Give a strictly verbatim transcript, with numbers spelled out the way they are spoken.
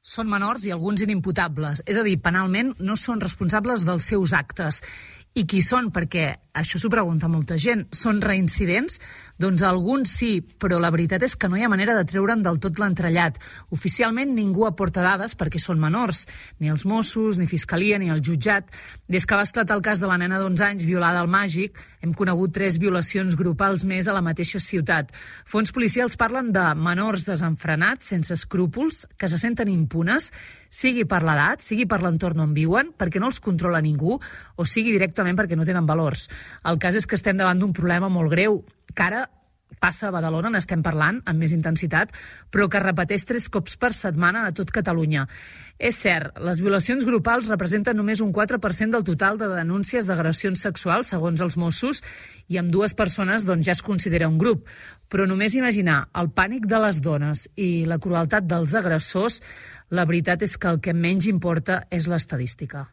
Són menors i alguns inimputables, és a dir, penalment no són responsables dels seus actes. I qui són? Perquè això s'ho pregunta molta gent. Són reincidents? Doncs alguns sí, però la veritat és que no hi ha manera de treure'n del tot l'entrellat. Oficialment ningú aporta dades perquè són menors, ni els Mossos, ni Fiscalia, ni el jutjat. Des que va esclatar el cas de la nena d'onze anys violada al Màgic, hem conegut tres violacions grupals més a la mateixa ciutat. Fons policials parlen de menors desenfrenats, sense escrúpols, que se senten impunes, sigui per l'edat, sigui per l'entorn on viuen, perquè no els controla ningú, o sigui directament perquè no tenen valors. El cas és que estem davant d'un problema molt greu, que ara passa a Badalona, n'estem parlant amb més intensitat, però que es repeteix tres cops per setmana a tot Catalunya. És cert, les violacions grupals representen només un quatre per cent del total de denúncies d'agressions sexuals, segons els Mossos, i amb dues persones doncs, ja es considera un grup. Però només imaginar el pànic de les dones i la crueltat dels agressors, la veritat és que el que menys importa és l'estadística.